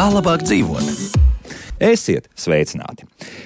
Kā labāk dzīvot? Esiet sveicināti!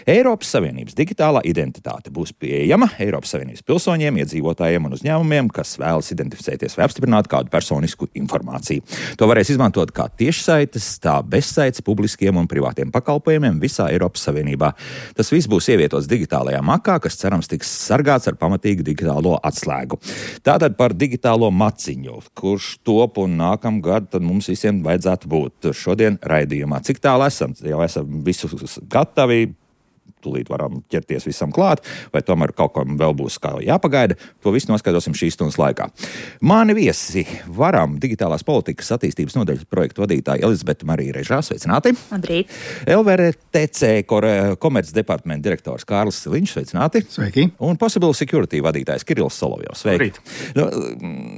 Eiropas Savienības digitālā identitāte būs pieejama Eiropas Savienības pilsoņiem, iedzīvotājiem un uzņēmumiem, kas vēlas identificēties vai apstiprināt kādu personisku informāciju. To varēs izmantot kā tiešsaites, tā bezsaites publiskiem un privātiem pakalpojumiem visā Eiropas Savienībā. Tas viss būs ievietots digitālajā makā, kas cerams tiks sargāts ar pamatīgu digitālo atslēgu. Tātad par digitālo maciņu, kurš top un nākamgad tad mums visiem vajadzētu būt šodien raidījumā. Cik tālu esam? Jau esam visu gatavi, tūlīt varam ķerties visam klāt, vai tomēr kaut kam vēl būs kā jāpagaida, to visu noskaidrosim šīs stundas laikā. Mani viesi Varam digitālās politikas attīstības nodaļas projektu vadītāja Elizabete Marija Režā, sveicināti. Labrīt. LVRTC komerces departamenta direktors Kārlis Siliņš, sveicināti. Sveiki. Un Possible Security vadītājs Kirillis Solovjovs, sveiki.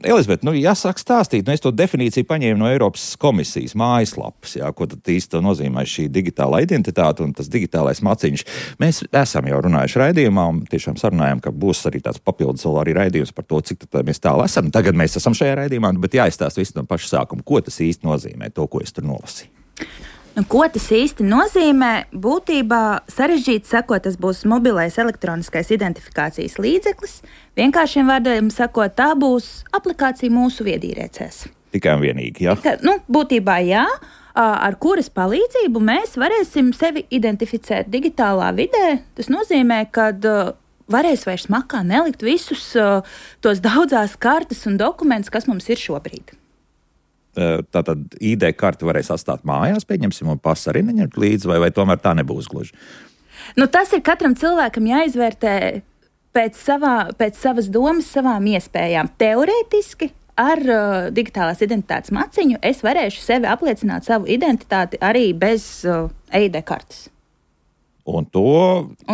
Elizabete, jāsāk stāstīt, es to definīciju paņēmu no Eiropas komisijas mājaslapas, ko tad īsti nozīmē šī digitālā identitāte un tas digitālais maciņš. Mēs esam jau runājuši raidījumā un tiešām sarunājam, ka būs arī tāds papildus vēl arī raidījums par to, cik mēs tālu esam. Tagad mēs esam šajā raidījumā, bet jāizstāst visu no paša sākuma. Ko tas īsti nozīmē, to, ko es tur nolasīju? Ko tas īsti nozīmē? Būtībā sarežģīti sakot, tas būs mobilais elektroniskais identifikācijas līdzeklis. Vienkāršiem vārdiem sakot, tā būs aplikācija mūsu viedierēcēs. Tikai un vienīgi, jā? Būtībā jā. Ar kuras palīdzību mēs varēsim sevi identificēt digitālā vidē. Tas nozīmē, ka varēs vairs makā nelikt visus tos daudzās kartes un dokumentus, kas mums ir šobrīd. Tātad ID karti varēs atstāt mājās, pieņemsim, un pasu arī neņemt līdzi, vai tomēr tā nebūs gluži? Tas ir katram cilvēkam jāizvērtē pēc savas domas, savām iespējām. Teorētiski ar digitālās identitātes maciņu es varēšu sevi apliecināt savu identitāti arī bez ID kartes. Un to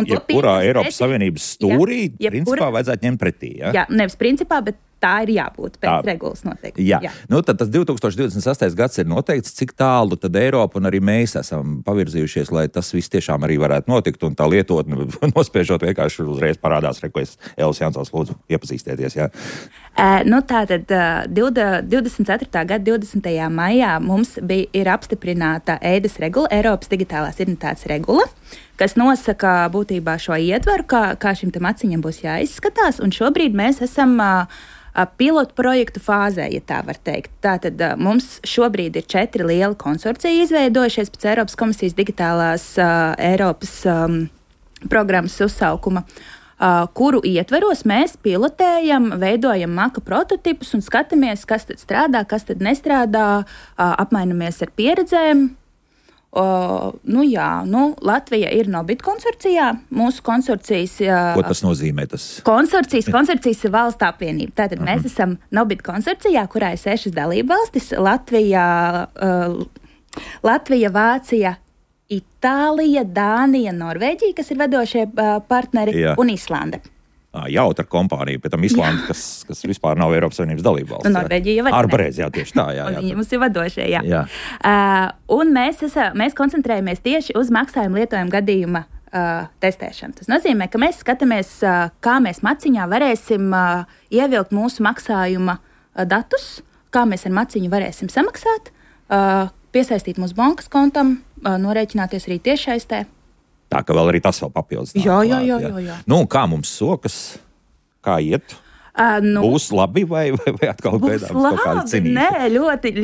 jebkurā Eiropas Savienības stūrī principā vajadzētu ņemt pretī, jā? Jā, nevis principā, bet tā ir jābūt pēc regulas noteikti. Jā. Tad tas 2028. gads ir noteikts, cik tālu tad Eiropa un arī mēs esam pavirzījušies, lai tas viss tiešām arī varētu notikt, un tā lietotne nospiežot vienkārši uzreiz parādās, ko es Elis Jansons lūdzu iepazīstieties, jā. Tātad 24. gada 20. maijā mums ir apstiprināta EIDAS regula, Eiropas digitālās identitātes regula, kas nosaka būtībā šo ietvaru, kā šim te maciņam būs jāizskatās, un šobrīd mēs esam pilotu projektu fāzē, ja tā var teikt. Tātad mums šobrīd ir 4 lieli konsorcija izveidojušies pēc Eiropas komisijas digitālās Eiropas programmas uzsaukuma, kuru ietveros mēs pilotējam, veidojam maka prototipus un skatāmies, kas tad strādā, kas tad nestrādā, apmainamies ar pieredzēm. Latvija ir Nobit konsorcijā. Mūsu konsorcijas... Ko tas nozīmē? Konsorcijas ir valsts apvienība. Tātad mēs esam Nobit konsorcijā, kurā ir 6 dalībvalstis - Latvija, Vācija, Itālija, Dānija, Norvēģija, kas ir vedošie partneri, un Islande. Jautra kompānija, pēc tam Islanda, kas vispār nav Eiropas Savienības dalībvalsts. Norvēģija jau Ārpareiz, jā, tieši tā, jā. Viņi mums ir vadošie, jā. Un mēs koncentrējamies tieši uz maksājumu lietojumu gadījuma testēšanu. Tas nozīmē, ka mēs skatāmies, kā mēs maciņā varēsim ievilkt mūsu maksājuma datus, kā mēs ar maciņu varēsim samaksāt, piesaistīt mūsu bankas kontam, norēķināties arī tiešsaistē. Tā, ka vēl arī tas vēl papildus. Jā. Kā mums sokas? Kā iet? Būs labi vai atkal gaidāms kaut kāda cinīša? Nē, ļoti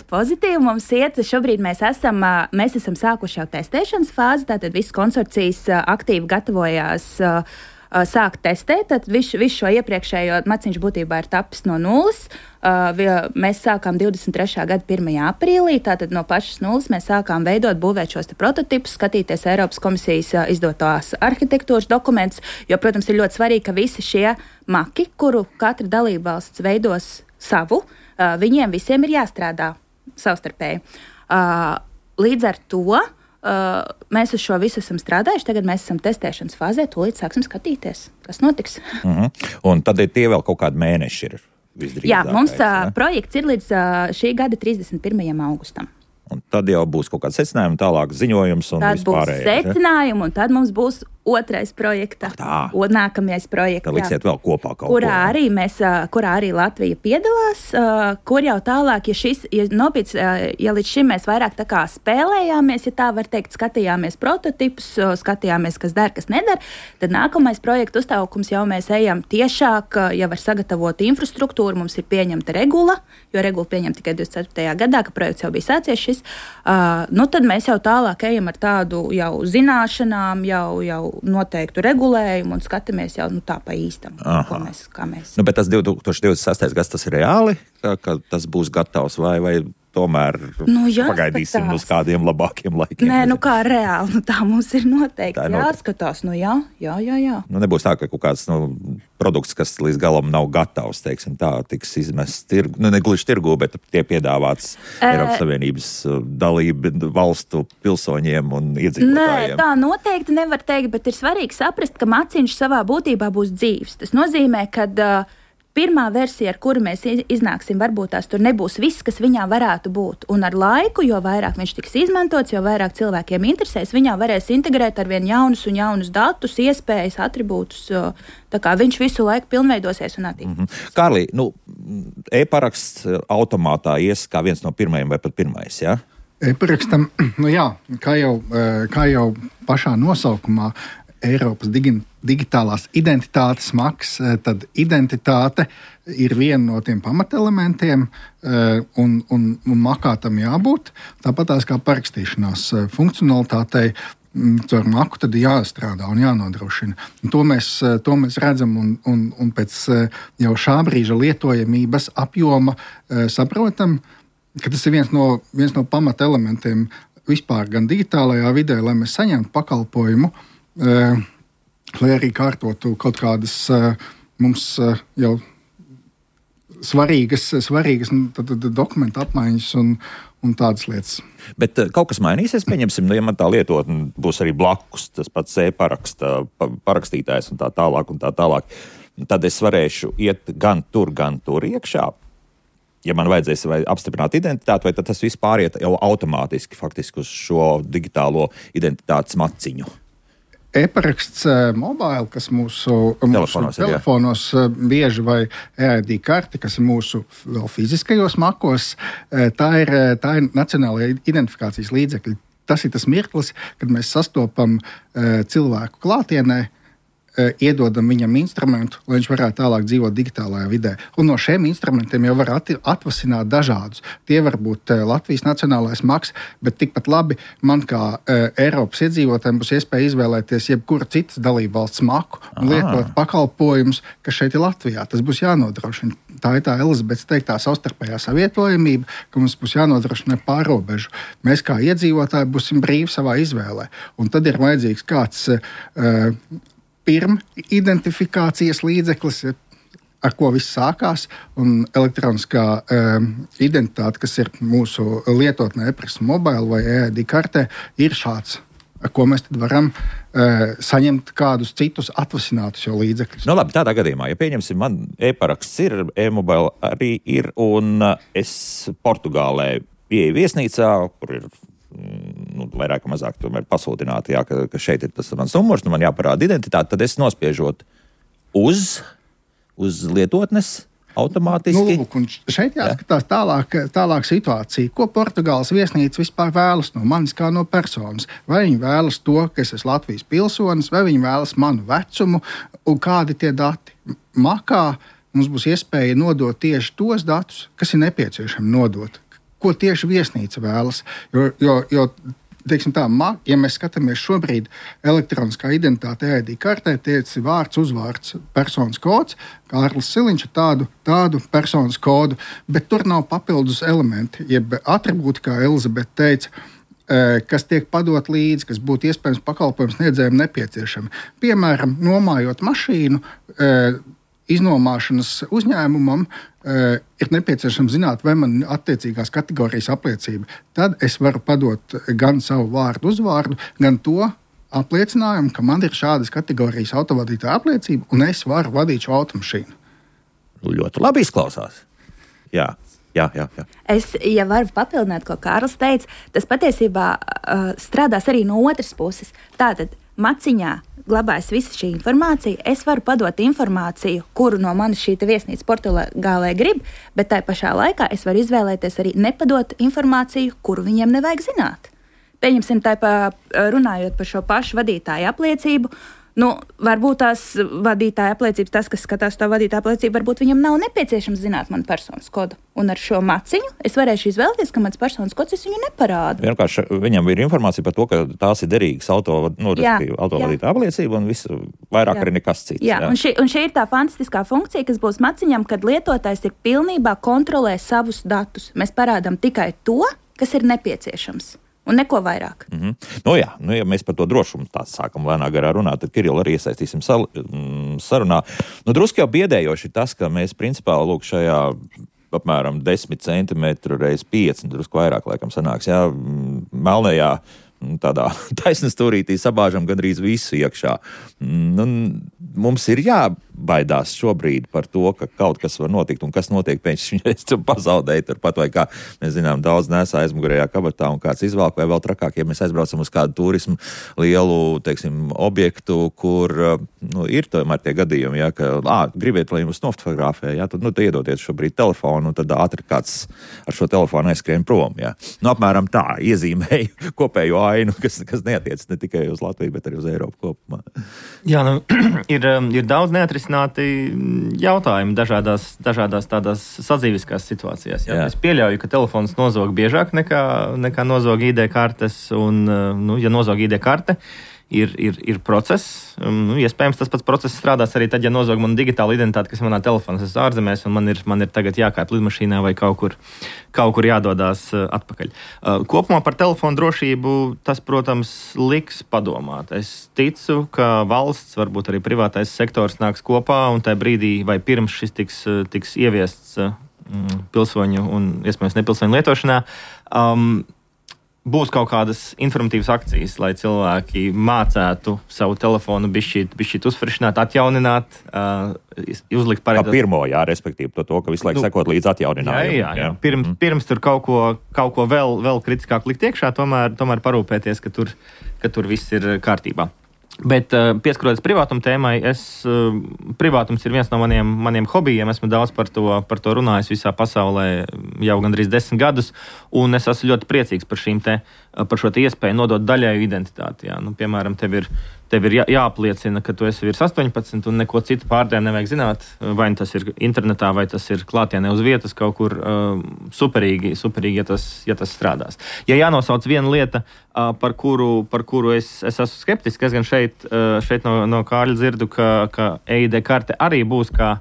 pozitīvi mums iet. Šobrīd mēs esam sākuši jau testēšanas fāzi, tātad visas konsorcijas aktīvi gatavojās sākt testēt. Tad visu šo iepriekšējo maciņš būtībā ir tapis no nulles. Mēs sākām 23. gada 1. aprīlī, tātad no pašas nulles mēs sākām būvēt šos prototipus, skatīties Eiropas komisijas izdotās arhitektūras dokumentus, jo, protams, ir ļoti svarīgi, ka visi šie maki, kuru katra dalībvalsts veidos savu, viņiem visiem ir jāstrādā savstarpēji. Līdz ar to mēs uz šo visu esam strādājuši, tagad mēs esam testēšanas fāzē, tūlīt sāksim skatīties, kas notiks. Un tad tie vēl kaut kādi mēneši ir visdrīzākais. Jā, mums projekts ir līdz šī gada 31. augustam. Un tad jau būs kaut kāds secinājums, tālāk ziņojums un vispārējais. Tad būs secinājumi, un tad mums būs otrais projekta, nākamais projekts. Tā liksiet vēl kopā kaut kurā arī Latvija piedalās, kur jau tālāk, ja līdz šim mēs vairāk tā kā spēlējāmies, ja tā var teikt, skatījāmies prototipus, skatījāmies, kas der, kas neder, tad nākamais projekta uztaukums jau mēs ejam tiešāk, jau var sagatavot infrastruktūru, mums ir pieņemta regula, jo regula pieņemta tikai 24. gadā, ka projekts jau bija sācies šis, tad mēs jau tālāk ejam ar tādu jau zināšanām, jau noteiktu regulējumu un skatāmies jau tā pa īstam, kā mēs. Bet tas 2026. gads, tas ir reāli, ka tas būs gatavs vai tomēr pagaidīsim uz kādiem labākiem laikiem? Nē, kā reāli, tā mums ir noteikti jāskatās. Jā. Nebūs tā, ka kaut kāds produkts, kas līdz galam nav gatavs, teiksim tā, tiks izmests tirgu, ne gluži tirgu, bet tie piedāvāts Eiropas Savienības dalību valstu pilsoņiem un iedzīvotājiem. Nē, tā noteikti nevar teikt, bet ir svarīgi saprast, ka maciņš savā būtībā būs dzīvs. Tas nozīmē, ka pirmā versija, ar kuru mēs iznāksim, varbūt tās tur nebūs viss, kas viņā varētu būt. Un ar laiku, jo vairāk viņš tiks izmantots, jo vairāk cilvēkiem interesēs, viņā varēs integrēt ar vien jaunus un jaunus datus, iespējas, atribūtus. Tā kā viņš visu laiku pilnveidosies un attīstīs. Kārlī, e-paraksts automātā ies kā viens no pirmajiem vai pat pirmais, jā? E-parakstam, kā jau pašā nosaukumā, Eiropas digitālās identitātes maks, tad identitāte ir viena no tiem pamatelementiem, un makā tam jābūt. Tāpat tās kā parakstīšanās funkcionalitātei, ar maku tad jāstrādā un jānodrošina. Un to mēs redzam un pēc jau šā brīža lietojamības apjoma saprotam, ka tas ir viens no pamatelementiem vispār gan digitālajā vidē, lai mēs saņemtu pakalpojumu, lai arī kārtotu kaut kādas mums jau svarīgas dokumentu apmaiņas un tādas lietas. Bet kaut kas mainīsies, pieņemsim, ja man tā lietotne būs arī blakus, tas pats e-paraksta parakstītājs un tā tālāk. Tad es varēšu iet gan tur iekšā. Ja man vajadzēs vai apstiprināt identitāti, vai tad tas viss pāriet jau automātiski faktiski uz šo digitālo identitātes maciņu? E-paraksts mobile, kas mūsu telefonos bieži vai e-ID karte, kas ir mūsu vēl fiziskajos makos, tā ir nacionālajā identifikācijas līdzekļi. Tas ir tas mirklis, kad mēs sastopam cilvēku klātienē, iedodam viņam instrumentu, lai viņš varētu tālāk dzīvot digitālajā vidē. Un no šiem instrumentiem jau var atvasināt dažādus. Tie var būt Latvijas nacionālais maks, bet tikpat labi man kā Eiropas iedzīvotājiem būs iespēja izvēlēties jebkuru citas dalību valsts maku un lietot pakalpojumus, kas šeit ir Latvijā. Tas būs jānodrošina. Tā ir tā Elizabetes teiktā savstarpējā savietojamība, ka mums būs jānodrošina pārobežu. Mēs kā iedzīvotāji būsim brīvi savā izvēlē. Un tad ir vajadzīgs kāds pirms identifikācijas līdzeklis, ar ko viss sākās, un elektroniskā identitāte, kas ir mūsu lietotnē e-paraksta mobile vai e-ID kartē, ir šāds, ar ko mēs tad varam saņemt kādus citus atvasinātus jau līdzekļus. Labi, tādā gadījumā, ja pieņemsim, man e-paraksts ir, e-mobile arī ir, un es Portugālē pieeju viesnīcā, kur ir vairāk vai mazāk tomēr pasūtināti, ka šeit ir tas mans numurs, man jāparāda identitāte, tad es nospiežot uz lietotnes automātiski. Un šeit jāskatās tālāk situācija. Ko Portugāles viesnīca vispār vēlas no manis kā no personas? Vai viņi vēlas to, ka es esmu Latvijas pilsonis, vai viņi vēlas manu vecumu un kādi tie dati? Makā mums būs iespēja nodot tieši tos datus, kas ir nepieciešami nodot. Ko tieši viesnīca vēlas. Jo teiksim tā, ja mēs skatāmies šobrīd elektroniskā identitāte e-ID kartē, tiec vārds, uzvārds, personas kods, Kārlis Siliņš ar tādu personas kodu, bet tur nav papildus elementi, jeb atribūti, kā Elizabete teica, kas tiek padot līdzi, kas būtu iespējams pakalpojums sniedzējiem nepieciešami. Piemēram, nomājot mašīnu, iznomāšanas uzņēmumam ir nepieciešams zināt, vai man attiecīgās kategorijas apliecība. Tad es varu padot gan savu vārdu, uzvārdu, gan to apliecinājumu, ka man ir šādas kategorijas autovadītāja apliecība, un es varu vadīt šo automašīnu. Ļoti labi izklausās. Jā. Es, ja varu papildināt, ko Kārlis teica, tas patiesībā strādās arī no otras puses. Tātad maciņā glabājas visa šī informācija. Es varu padot informāciju, kuru no manis šī viesnīca Portugālē grib, bet tai pašā laikā es varu izvēlēties arī nepadot informāciju, kuru viņiem nevajag zināt. Pieņemsim, runājot par šo pašu vadītāju apliecību. Varbūt tās vadītāja apliecības, tas, kas skatās tā vadītāja apliecību, varbūt viņam nav nepieciešams zināt manu personas kodu. Un ar šo maciņu es varēšu izvēlēties, ka mans personas kods es viņu neparādu. Vienkārši viņam ir informācija par to, ka tās ir derīgas autovadītāja apliecība un visu vairāk arī nekas cits. Jā. Un šī ir tā fantastiskā funkcija, kas būs maciņam, kad lietotājs ir pilnībā kontrolē savus datus. Mēs parādām tikai to, kas ir nepieciešams. Un neko vairāk. Ja mēs par to drošumu tā sākam lēnā garā runāt, tad Kirillu arī iesaistīsim sarunā. Drusku jau biedējoši tas, ka mēs principā šajā apmēram 10 centimetru reiz 5, drusku vairāk laikam sanāks, melnajā tādā taisnstūrītī sabāžam gandrīz visu iekšā. Mums ir jābaidās šobrīd par to, ka kaut kas var notikt, un kas notiek pēkšņi, es pazaudēju turpat, vai kā mēs zinām, daudz nesā aizmugurējā kabatā un kāds izvelk, vai vēl trakāk, ja mēs aizbraucam uz kādu turismu lielu, teiksim, objektu, kur ir tomēr tie gadījumi, ka gribiet, lai jums nofotografē, tad iedodiet šobrīd telefonu, un tad ātri kāds ar šo telefonu aizskrien prom. Apmēram tā iezīmēju kopējo ainu, kas neatiec ne tikai uz Latviju, bet arī uz Eiropu kopumā. Jā, ir daudz neatrisināti jautājumi dažādās tādās sadzīviskās situācijās. Es pieļauju, ka telefons nozog biežāk nekā nozog ID kartes, un, ja nozog ID karte, ir process. Iespējams, tas pats process strādās arī tad, ja nozog manu digitālu identitāti, kas manā telefonā ir ārzemēs, un man ir tagad jākāp lidmašīnā vai kaut kur jādodās atpakaļ. Kopumā par telefonu drošību tas, protams, liks padomāt. Es ticu, ka valsts, varbūt arī privātais sektors nāks kopā, un tajā brīdī vai pirms šis tiks ieviests pilsoņu un, iespējams, nepilsoņu lietošanā, būs kaut kādas informatīvas akcijas, lai cilvēki mācētu savu telefonu bišķīt uzfrišināt, atjaunināt, uzlikt pareizi. Kā pirmo, respektīvi to, ka visu laiku sekot līdz atjauninājumu. Jā. Pirms tur kaut ko vēl kritiskāk likt iekšā, tomēr parūpēties, ka tur viss ir kārtībā. Bet pieskaroties privātuma tēmai, privātums ir viens no maniem hobijiem. Esmu daudz par to runājis visā pasaulē jau gandrīz 10 gadus, un es esmu ļoti priecīgs par šo iespēju nodot daļēju identitāti. Piemēram, tev ir jāapliecina, ka tu esi virs 18 un neko citu pārdēm nevajag zināt, vai tas ir internetā, vai tas ir klātienē uz vietas kaut kur superīgi, ja tas strādās. Ja jānosauc viena lieta, par kuru es esmu skeptisks, es gan šeit no Kārļa dzirdu, ka EID karte arī būs kā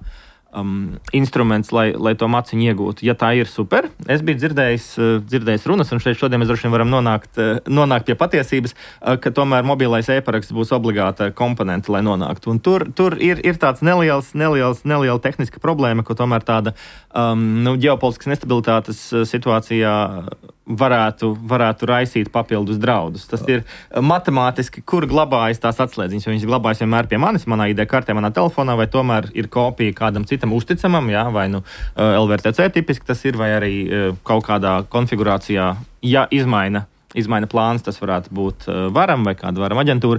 instruments, lai to maciņu iegūtu. Ja tā ir super, es biju dzirdējis runas, un šodien mēs droši vien varam nonākt pie patiesības, ka tomēr mobilais e-paraksts būs obligāta komponente, lai nonāktu. Un tur ir tāds neliela tehniska problēma, ko tomēr tāda ģeopolitiskas nestabilitātes situācijā varētu raisīt papildus draudus. Tas ir matemātiski, kur glabājas tās atslēdziņas, jo viņas glabājas vienmēr pie manis, manā ID kartē, manā telefonā, vai tomēr ir kopija kādam citam uzticamam, vai LVRTC tipiski tas ir, vai arī kaut kādā konfigurācijā, ja izmaina plāns, tas varētu būt varam vai kāda varam aģentūra.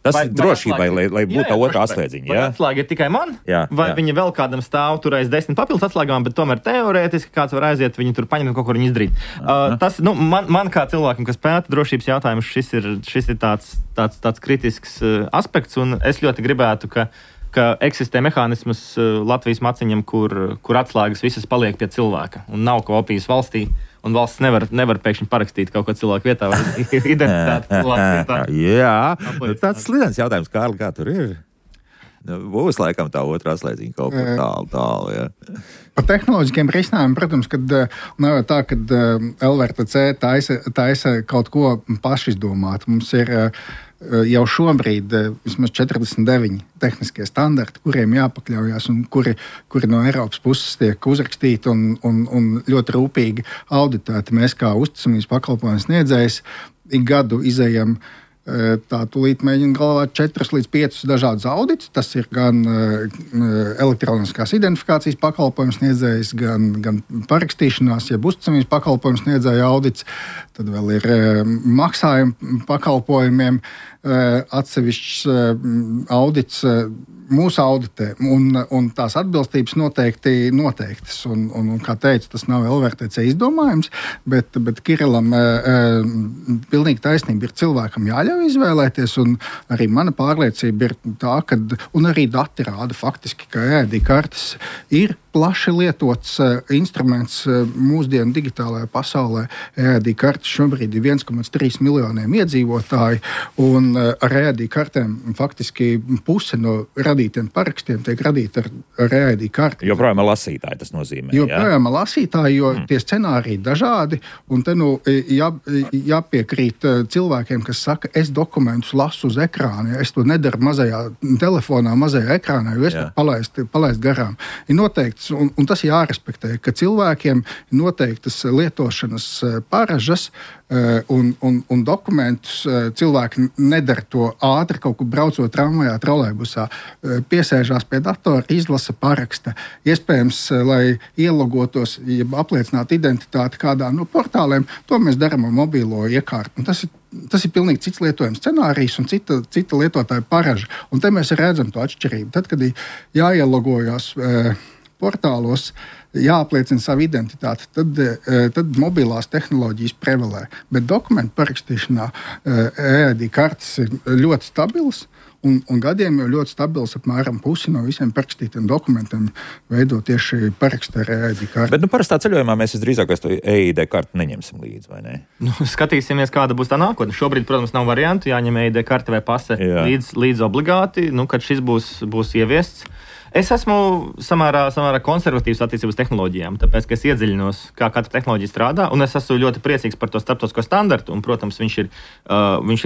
Tas ir drošībai, lai būtu tā otrā atslēdziņa. Vai atslēga ir tikai man? Vai viņa vēl kādam stāv tur aiz 10 papildus atslēgām, bet tomēr teorētiski kāds var aiziet, viņi tur paņemt un kaut ko viņu izdarīt. Tas, man kā cilvēkam, kas pēta drošības jautājumus, šis ir tāds kritisks aspekts, un es ļoti gribētu, ka eksistē mehānisms Latvijas maciņam, kur atslēgas visas paliek pie cilvēka, un nav kopijas valstī. Un valsts nevar pēkšņi parakstīt kaut ko cilvēku vietā vai identitāti cilvēku vietā. Jā, tāds slidens jautājums, Kārli, kā tur ir? Būs laikam tā otrā slēdziņa kaut kur tālu. Par tehnoloģiskiem risinājumiem, protams, kad nav tā, kad LVRTC taisa kaut ko pašizdomāt. Mums ir jau šobrīd vismaz 49 tehniskie standarti, kuriem jāpakļaujas un kuri no Eiropas puses tiek uzrakstīti un ļoti rūpīgi auditēti. Mēs kā uzticamības pakalpojumu sniedzējs ik gadu izejam Tā tūlīt mēģina galvāt 4 līdz 5 dažādus auditus. Tas ir gan elektroniskās identifikācijas pakalpojums sniedzējs, gan parakstīšanās, jeb uzticamības pakalpojums sniedzēja audits. Tad vēl ir maksājuma pakalpojumiem atsevišķs audits. Mūsu auditē, un tās atbilstības noteikti noteiktas. Un, kā teicu, tas nav LVRTC izdomājums, bet Kirillam pilnīgi taisnība ir cilvēkam jāļauj izvēlēties, un arī mana pārliecība ir tā, un arī dati rāda faktiski, ka EID kartes ir plaši lietots instruments mūsdienu digitālajā pasaulē. EID kartes šobrīd ir 1,3 miljoniem iedzīvotāju, un ar EID kartēm faktiski puse no radītiem parakstiem tiek radīti ar EID karti. Joprojām ar lasītāju tas nozīmē. Joprojām ar lasītāju, jo tie scenāriji dažādi, un te jāpiekrīt cilvēkiem, kas saka, es dokumentus lasu uz ekrāna, es to nedaru mazajā telefonā, mazajā ekrānā, jo es varu palaist garām. Ir noteikts, un tas jārespektē, ka cilvēkiem ir noteiktas lietošanas paražas, un dokumentus cilvēki nedara to ātri, kaut kur braucot tramvajā, trolejbusā, piesēžās pie datora, izlasa paraksta. Iespējams, lai ielogotos, ja apliecinātu identitāti kādā no portāliem, to mēs darām ar mobilo iekārtu. Tas ir pilnīgi cits lietojums scenārijs un cita lietotāja paraža. Un te mēs redzam to atšķirību. Tad, kad jāielogojās portālos, jāapliecina savu identitāti, tad mobilās tehnoloģijas prevalē. Bet dokumentu parakstīšanā EID kartes ir ļoti stabilas, un gadiem jau ļoti stabils, apmēram pusi no visiem parakstītiem dokumentiem veido tieši parakstu ar EID karti. Bet parastā ceļojumā mēs visdrīzāk to EID karti neņemsim līdzi, vai ne? Skatīsimies, kāda būs tā nākotne. Šobrīd, protams, nav variantu, jāņem EID karte vai pase līdz obligāti, kad šis būs ieviests. Es esmu samērā konservatīvs attiecībā uz tehnoloģijām, tāpēc, ka es iedziļinos, kā katra tehnoloģija strādā, un es esmu ļoti priecīgs par to starptautisko standartu, un, protams, viņš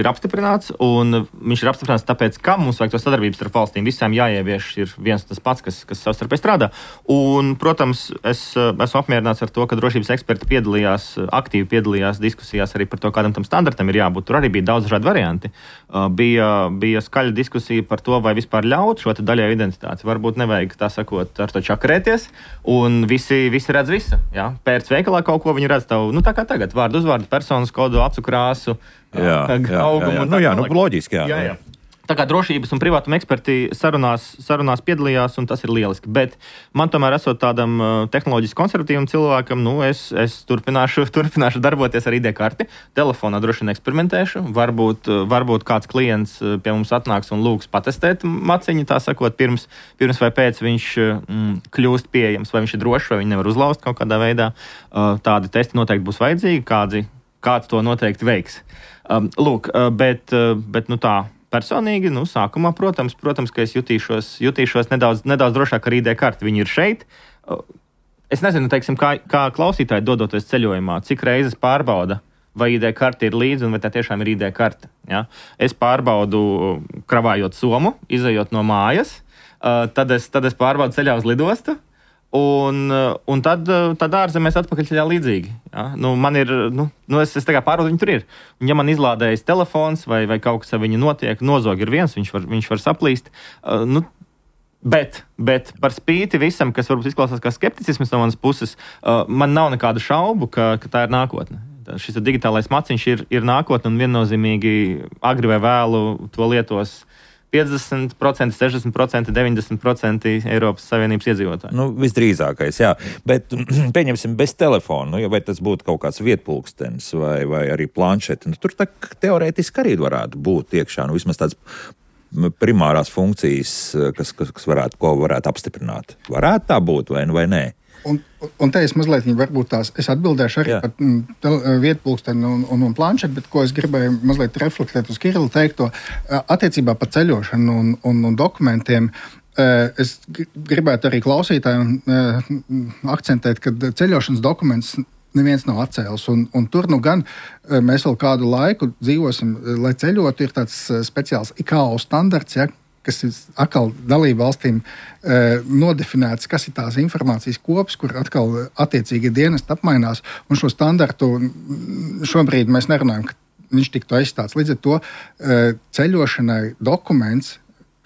ir apstiprināts, un viņš ir apstiprināts tāpēc, ka mums vajag to sadarbības starp valstīm. Visām jāievieš ir viens tas pats, kas savstarpēji strādā. Un, protams, es esmu apmierināts ar to, ka drošības eksperti aktīvi piedalījās diskusijās arī par to, kādam tam standartam ir jābūt. Tur arī bija daudz dažādi varianti. Bija skaļa diskusija par to, vai vispār ļaut šo daļēju identitāti. Varbūt nevajag, tā sakot, ar to čakarēties, un visi redz visu. Ja? Pēc veikalā kaut ko viņi redz tavu, tā kā tagad, vārdu, uzvārdu, personas kodu, acu krāsu, augumu. Loģiski, jā. Tā kā drošības un privātuma eksperti sarunās piedalījās, un tas ir lieliski. Bet man tomēr, esot tādam tehnoloģiski konservatīvam cilvēkam, es turpināšu darboties ar ID karti. Telefonā droši vien eksperimentēšu. Varbūt kāds klients pie mums atnāks un lūgs patestēt maciņu, tā sakot, pirms vai pēc viņš kļūst pieejams, vai viņš ir drošs, vai viņš nevar uzlauzt kaut kādā veidā. Tādi testi noteikti būs vajadzīgi, kāds to noteikti veiks. Bet tā. Personīgi, sākumā, protams, ka es jutīšos nedaudz drošāk ar ID karti. Viņi ir šeit. Es nezinu, teiksim, kā klausītāji dodoties ceļojumā, cik reizes pārbauda, vai ID karte ir līdzi un vai tā tiešām ir ID karte. Ja? Es pārbaudu, kravājot somu, izejot no mājas, tad es pārbaudu ceļā uz lidostu. Un tad ārzemēs atpakaļ ceļā līdzīgi. Ja? Man ir, es tā kā pārbaudu, viņi tur ir. Un ja man izlādējas telefons vai kaut kas ar viņu notiek, nozog ir viens, viņš var saplīst. Bet par spīti visam, kas varbūt izklausās kā skepticisms no manas puses, man nav nekādu šaubu, ka tā ir nākotne. Šis digitālais maciņš ir nākotne, un viennozīmīgi agri vai vēlu to lietos 50%, 60%, 90% Eiropas Savienības iedzīvotāji. Visdrīzākais, jā. Bet pieņemsim bez telefona, vai tas būtu kaut kāds vietpulkstenis vai arī planšeti. Tur teorētiski arī varētu būt iekšā, vismaz tāds primārās funkcijas, ko varētu apstiprināt. Varētu tā būt vai nē? Un te es mazliet es atbildēšu arī par vietpulksteni un planšeti, bet ko es gribēju mazliet reflektēt uz Kirila teikto attiecībā par ceļošanu un dokumentiem. Es gribētu arī klausītājiem akcentēt, ka ceļošanas dokuments neviens nav atcēlis. Un tur gan mēs vēl kādu laiku dzīvosim, lai ceļotu, ir tāds speciāls ICAO standarts, kas ir atkal dalību valstīm nodefinēts, kas ir tās informācijas kops, kur atkal attiecīgi dienesti apmainās. Un šo standartu šobrīd mēs nerunājam, ka viņš tiktu aizstāts. Līdz ar to ceļošanai dokuments,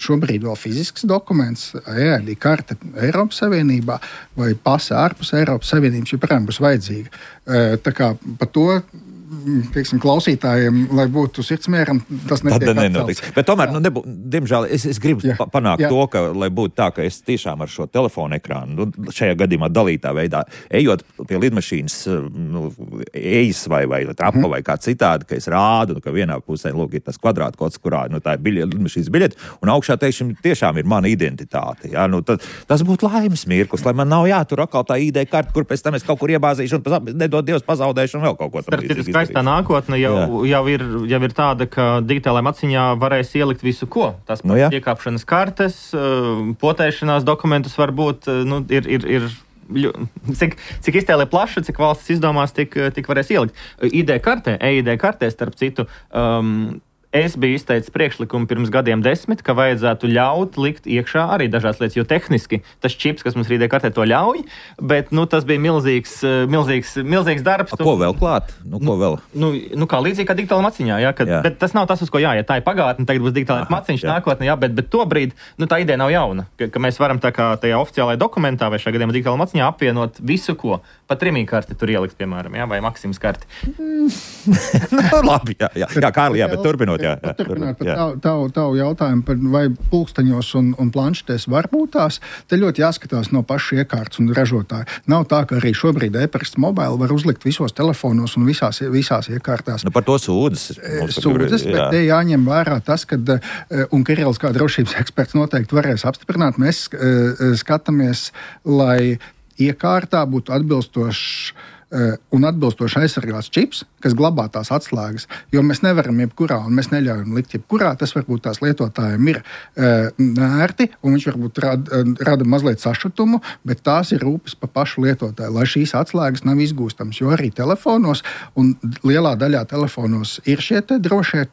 šobrīd vēl fizisks dokuments, EID karte Eiropas Savienībā vai pase ārpus Eiropas Savienības, joprojām būs vajadzīga. Tā kā par to, teiksim, klausītājiem, lai būtu sirdsmieram, tas netiek atcelts. Bet tomēr, diemžēl, es gribu panākt to, ka, lai būtu tā, ka es tiešām ar šo telefonu ekrānu, šajā gadījumā dalītā veidā, ejot pie lidmašīnas, ejas vai trapa vai kā citādi, ka es rādu, ka vienā pusē, lūk, ir tas kvadrātkods, kurā, tā ir lidmašīnas biļete, un augšā, teiksim, tiešām ir mana identitāte. Ja? Tas būtu laimes mirklis, lai man nav jātur atkal tā ID karte, kur pēc tam es kaut kur iebāzīšu un nedod Dievs pazaudēšu un vēl kaut ko tam līdzīgi. Tā nākotne jau ir tāda, ka digitālajā maciņā varēs ielikt visu, ko. Tas pats iekāpšanas kartes, potēšanās dokumentus varbūt ir cik iztēle plaša, cik valsts izdomās, tik varēs ielikt. EID kartē, starp citu, es biju izteicis priekšlikumu pirms gadiem 10, ka vajadzētu ļaut likt iekšā arī dažādas lietas, jo tehniski tas čips, kas mums EID kartē, to ļauj, bet tas bija milzīgs darbs. Ko vēl klāt? Ko vēl? Kā līdzīgi kā digitāla maciņā, bet tas nav tas, uz ko jāiet. Tā ir pagātne, tagad būs digitālais maciņš nākotnē, bet tobrīd tā ideja nav jauna, ka mēs varam tā kā tajā oficiālajā dokumentā vai šajā gadījumā digitāla maciņā apvienot visu, ko. Pat Rimī karti tur ielikt, piemēram, vai Maksims karti. Labi, Kārli, bet turpinot. Turpināt par tavu jautājumu par vai pulksteņos un planšetēs var būt tās, te ļoti jāskatās no paša iekārtas un ražotāja. Nav tā, ka arī šobrīd e-pasta mobile var uzlikt visos telefonos un visās iekārtās. Par to sūdzes, bet te jāņem vērā tas, ka, un Kirills kā drošības eksperts noteikti varēs apstiprināt, mēs skatāmies, lai iekārtā būtu atbilstoši aizsargāts čips, kas glabā tās atslēgas, jo mēs nevaram jebkurā, un mēs neļaujam likt jebkurā, tas varbūt tās lietotājiem ir nērti, un viņš varbūt rada mazliet sašutumu, bet tās ir rūpes pa pašu lietotāju, lai šīs atslēgas nav izgūstams, jo arī telefonos, un lielā daļā telefonos ir šie te drošie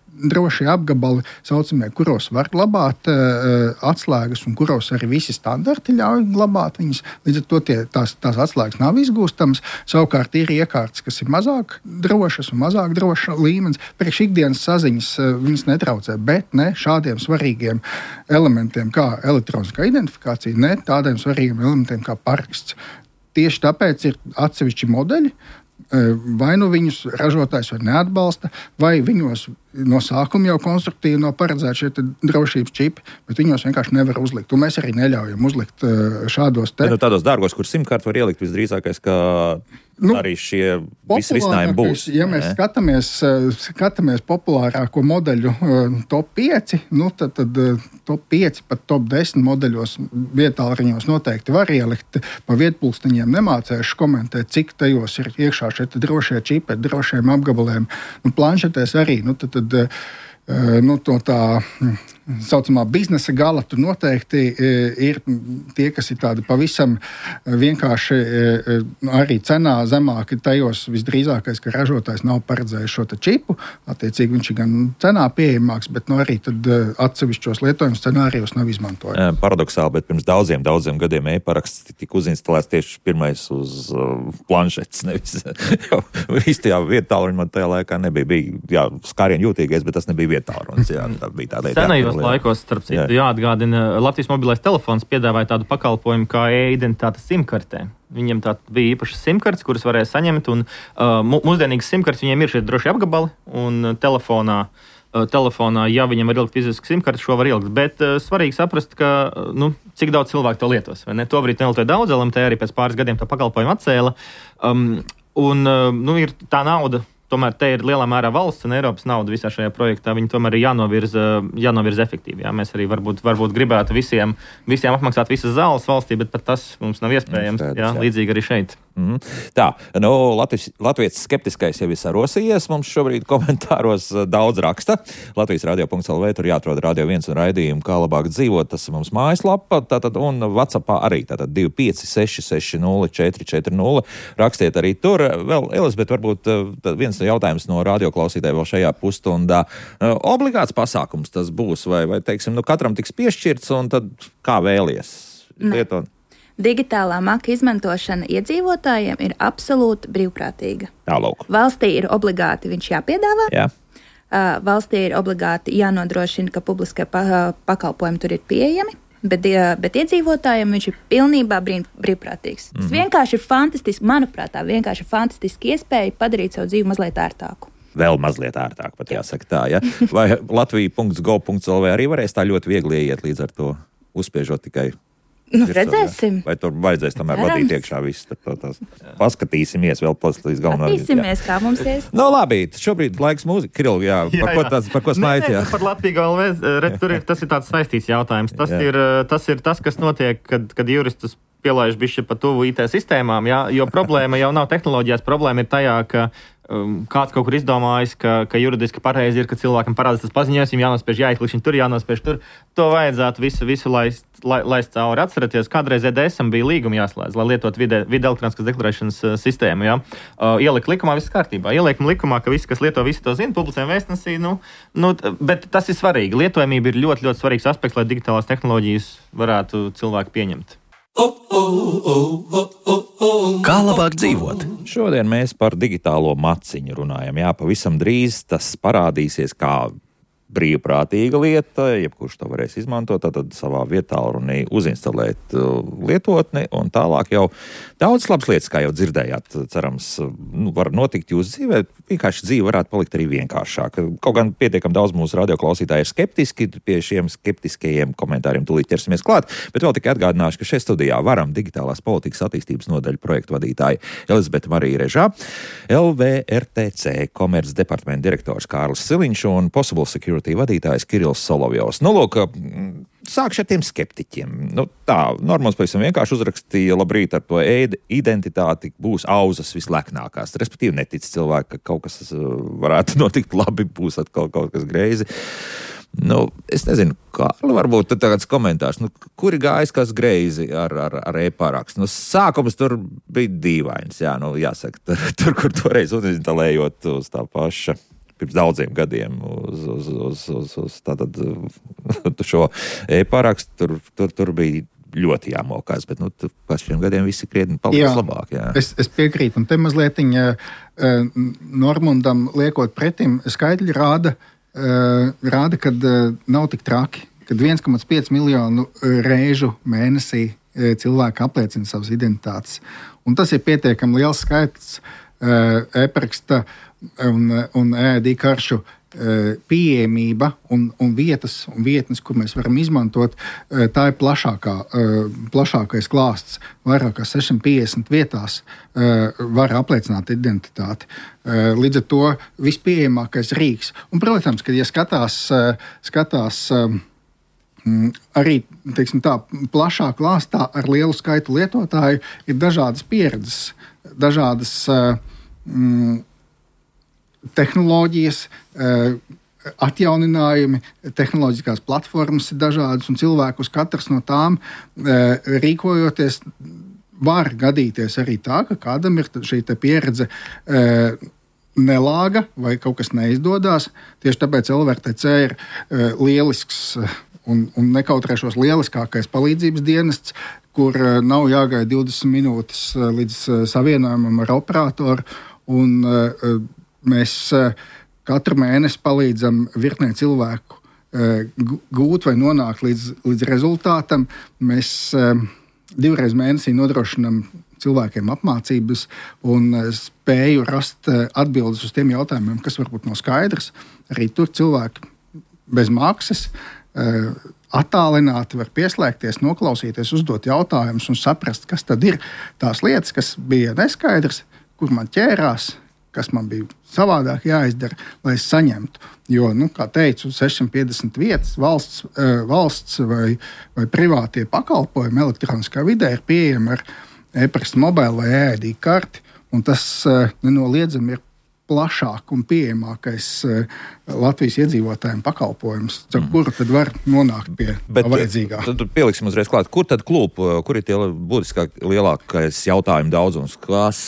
apgabali, saucamie, kuros var glabāt atslēgas un kuros arī visi standarti ļauj glabāt viņas. Līdz ar to tās atslēgas nav izgūstamas. Savukārt ir iekārtas, kas ir mazāk drošas un mazāk droša līmenis. Priekš ikdienas saziņas viņas netraucē, bet ne šādiem svarīgiem elementiem kā elektroniskā identifikācija, ne tādiem svarīgiem elementiem kā paraksts. Tieši tāpēc ir atsevišķi modeļi, vai nu viņus ražotājs var neatbalsta, vai viņos no sākuma jau konstruktīvi nav paredzēti šie drošības čipi, bet viņos vienkārši nevar uzlikt. Un mēs arī neļaujam uzlikt šādos te. Tādos dārgos, kur SIM-kartu var ielikt visdrīzākais, ka arī šie visi risinājumi būs. Ja mēs skatāmies populārāko modeļu top 5, tad top 5 pat top 10 modeļos vietālruņos noteikti var ielikt. Pa vietpulksteņiem nemācēšu komentēt, cik tajos ir iekšā šie drošie čipi ar drošiem apgabaliem. Planšetēs arī, to tā saucamā biznesa gala tur noteikti ir tie, kas ir tādi pavisam vienkārši arī cenā zemāki. Tajos visdrīzākais, ka ražotājs nav paredzējis šo čipu. Attiecīgi viņš ir gan cenā pieejamāks, bet arī tad atsevišķos lietojumu scenārijos nav izmantojams. Paradoxāli, bet pirms daudziem gadiem e-paraksts tika uzinstalēts tieši pirmais uz planšetes. Nevis īstajā vietālruņa man tajā laikā nebija skārien jūtīgais, bet tas nebija vietālruņs. Tā bija tāda senajos laikos, starp citu, jāatgādina, Latvijas mobilais telefons piedāvāja tādu pakalpojumu kā e-identitāte SIM-kartē. Viņiem tā bija īpašas SIM-kartes, kuras varēja saņemt, un mūsdienīgas SIM-kartes viņiem ir šie droši apgabali, un telefonā, ja viņam var ielikt fizisku SIM-karti, šo var ielikt, bet svarīgi saprast, ka, cik daudz cilvēku to lietos, vai ne? Tobrīd nelietoja daudz, LMT arī pēc pāris gadiem to pakalpojumu atcēla, ir tā nauda. Tomēr te ir lielā mērā valsts un Eiropas nauda visā šajā projektā. Viņi tomēr ir jānovirza efektīvi. Jā. Mēs arī varbūt gribētu visiem apmaksāt visas zāles valstī, bet pat tas mums nav iespējams. Līdzīgi arī šeit. Tā, Latvijas skeptiskais jau ir sarosījies. Mums šobrīd komentāros daudz raksta. Latvijas radio.lv tur jāatrod Radio 1 un raidījumu, kā labāk dzīvot. Tas ir mums mājaslapa, un WhatsAppā arī. Tātad 256604440. Rakstiet arī tur. Vēl, Elizabete, varbūt viens jautājums no radioklausītājiem vēl šajā pusstundā. Obligāts pasākums tas būs, vai teiksim, katram tiks piešķirts, un tad kā vēlies lietot? Digitālā maka izmantošana iedzīvotājiem ir absolūti brīvprātīga. Tālūk. Valstī ir obligāti viņš jāpiedāvā. Jā. valstī ir obligāti jānodrošina, ka publiskie pakalpojumi tur ir pieejami. Bet iedzīvotājiem viņš ir pilnībā brīvprātīgs. Tas vienkārši ir fantastiski, manuprāt, tā vienkārši ir fantastiski iespēja padarīt savu dzīvi mazliet ērtāku. Vēl mazliet ērtāk, pat jāsaka tā, ja? Vai Latvija.gov.lv arī varēs tā ļoti viegli ieiet līdz ar to, uzspiežot tikai? Redzēsim. Vai tur vajadzēs tomēr vadīt iekšā visu? Paskatīsimies vēl līdz galvenā. Paskatīsimies, kā mums ies. No labi, šobrīd laiks mūzika. Kiril, par ko smaids, jā? Par Latviju tas ir tāds saistīts jautājums. Tas ir tas, kas notiek, kad juristus pielaiž bišķi pa tuvu IT sistēmām, jā, jo problēma jau nav tehnoloģijās, problēma ir tajā, ka kāds kaut kur izdomājis, ka juridiski pareizi ir, ka cilvēkam parādās tas paziņojums, viņam jānospiež jāizklikšķina tur, jānospiež tur. To vajadzētu visu laist cauri. Atceraties, kādreiz EDSam bija līguma jāslēdz, lai lietot vide elektroniskas deklarēšanas sistēmu. Ja? Ielikt likumā, viss kārtībā. Ieliekam likumā, ka visi, kas lieto, visi to zina, publicējam vēstnesī. Bet tas ir svarīgi. Lietojamība ir ļoti, ļoti svarīgs aspekts, lai digitālās tehnoloģijas varētu cilvēki pieņemt. Kā labāk dzīvot? Šodien mēs par digitālo maciņu runājam. Jā, pavisam drīz tas parādīsies kā brīvprātīga lieta, jebkurš to varēs izmantot, tad savā vietā runī uzinstalēt lietotni, un tālāk jau daudz labas lietas, kā jau dzirdējāt, cerams, var notikt jūsu dzīvē. Vienkārši dzīve varētu palikt arī vienkāršāk. Kaut gan pietiekam daudz mūsu radioklausītāji ir skeptiski, pie šiem skeptiskajiem komentāriem tūlīt ķersimies klāt, bet vēl tikai atgādināšu, ka šeit studijā Varam digitālās politikas attīstības nodaļu projektu vadītāji Elizabete Marija Režā, LVRTC komerces departamenta direktors Kārlis Siliņš un Possible Security vadītājs Kirills Solovjovs. Lūk, sākšu ar tiem skeptiķiem. Normāls pavisam vienkārši uzrakstīja, labrīt, ar to identitāti būs auzas visleknākās. Respektīvi netic cilvēki, ka kaut kas varētu notikt labi, būs atkal kaut kas greizi. Es nezinu, Kārli, varbūt tāds komentārs, kuri gājis kas greizi ar e-parakstu. Sākums tur bija dīvains, jā, jāsaka, tur, kur toreiz uninstalējot uz tā paša pirms daudziem gadiem uz tātad šo e-parakstu, tur bija ļoti jāmokās, bet pēc šiem gadiem visi krietni paliks labāk. Jā. Es piekrītu, un te mazliet Normundam liekot pretim, skaitļi rāda, kad nav tik traki, kad 1,5 miljonu reižu mēnesī cilvēki apliecina savas identitātes. Un tas ir pietiekami liels skaits e-paraksta un EID karšu pieejamība un vietnes, kur mēs varam izmantot, tā ir plašākais klāsts. Vairāk kā 650 vietās var apliecināt identitāti. Līdz ar to vispieejamākais rīks. Un, protams, kad ja skatās arī, teiksim tā, plašā klāstā ar lielu skaitu lietotāju, ir dažādas pieredzes, dažādas tehnoloģijas, atjauninājumi, tehnoloģiskās platformas ir dažādas, un cilvēkus katrs no tām rīkojoties var gadīties arī tā, ka kādam ir šī pieredze nelāga vai kaut kas neizdodas. Tieši tāpēc LVRTC ir lielisks un nekautrēšos lieliskākais palīdzības dienests, kur nav jāgaida 20 minūtes līdz savienojumam ar operatoru, un mēs katru mēnesi palīdzam virknei cilvēku gūt vai nonākt līdz rezultātam. Mēs 2 reizes mēnesī nodrošinām cilvēkiem apmācības un spēju rast atbildes uz tiem jautājumiem, kas varbūt nav skaidrs. Arī tur cilvēki bez maksas attālināti var pieslēgties, noklausīties, uzdot jautājumus un saprast, kas tad ir tās lietas, kas bija neskaidrs, kur man ķērās, kas man bija savādāk jāizdara, lai es saņemtu. Jo, kā teicu, 650 vietas valsts vai privātie pakalpojumi elektroniskā vidē ir pieejami ar e-pasta mobile vai EID karti, un tas nenoliedzami ir plašāk un pieejamākais Latvijas iedzīvotājiem pakalpojums, ar kuru tad var nonākt pie vajadzīgā. Tad pieliksim uzreiz klāt, kur tad klūp, kur ir tie būtiskāk lielākais jautājumu daudzums, kas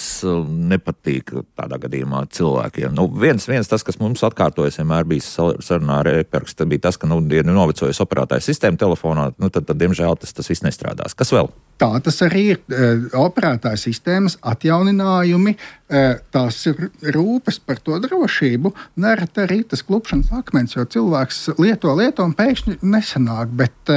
nepatīk tādā gadījumā cilvēkiem? Viens tas, kas mums atkārtojas vienmēr bijis sarunā ar e-parakstu, bija tas, ka ir novecojas operētāja sistēma telefonā, tad diemžēl tas viss nestrādās. Kas vēl? Tā tas arī ir operētāja sistēmas atjauninājumi, tās ir rūpes rūpes par to drošību, nereti arī tas klupšanas akmens, jo cilvēks lieto un pēkšņi nesanāk, bet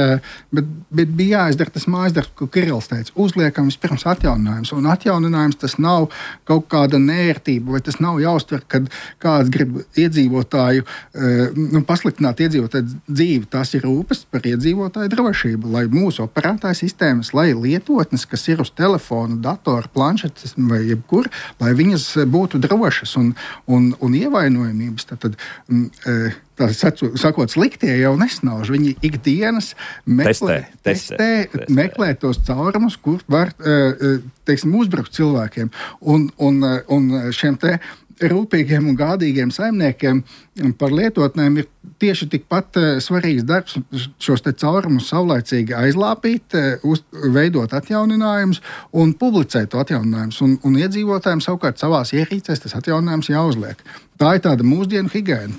bija jāizdara tas mājasdarbs, ko Kirills teica, uzliekam vispirms atjauninājums, un atjauninājums tas nav kaut kāda nērtība, vai tas nav jāuztver, kad kāds grib iedzīvotāju, pasliktināt iedzīvotāju dzīvi, tas ir rūpes par iedzīvotāju drošību, lai mūsu operētāju sistēmas, lai lietotnes, kas ir uz telefona, datora, planšetes vai jebkur, lai viņas būtu drošas un ievainojamības. Tā sakot, sliktie jau nesnauž. Viņi ikdienas testē, meklē tos caurumus, kur var, uzbrukt cilvēkiem. Un šiem te rūpīgiem un gādīgiem saimniekiem par lietotnēm ir tieši tikpat svarīgs darbs šos te caurumus saulaicīgi aizlāpīt, veidot atjauninājumus un publicēt to atjauninājumus. Un iedzīvotājiem savukārt savās ierīcēs tas atjauninājums jāuzliek. Tā ir tāda mūsdienu higiēna.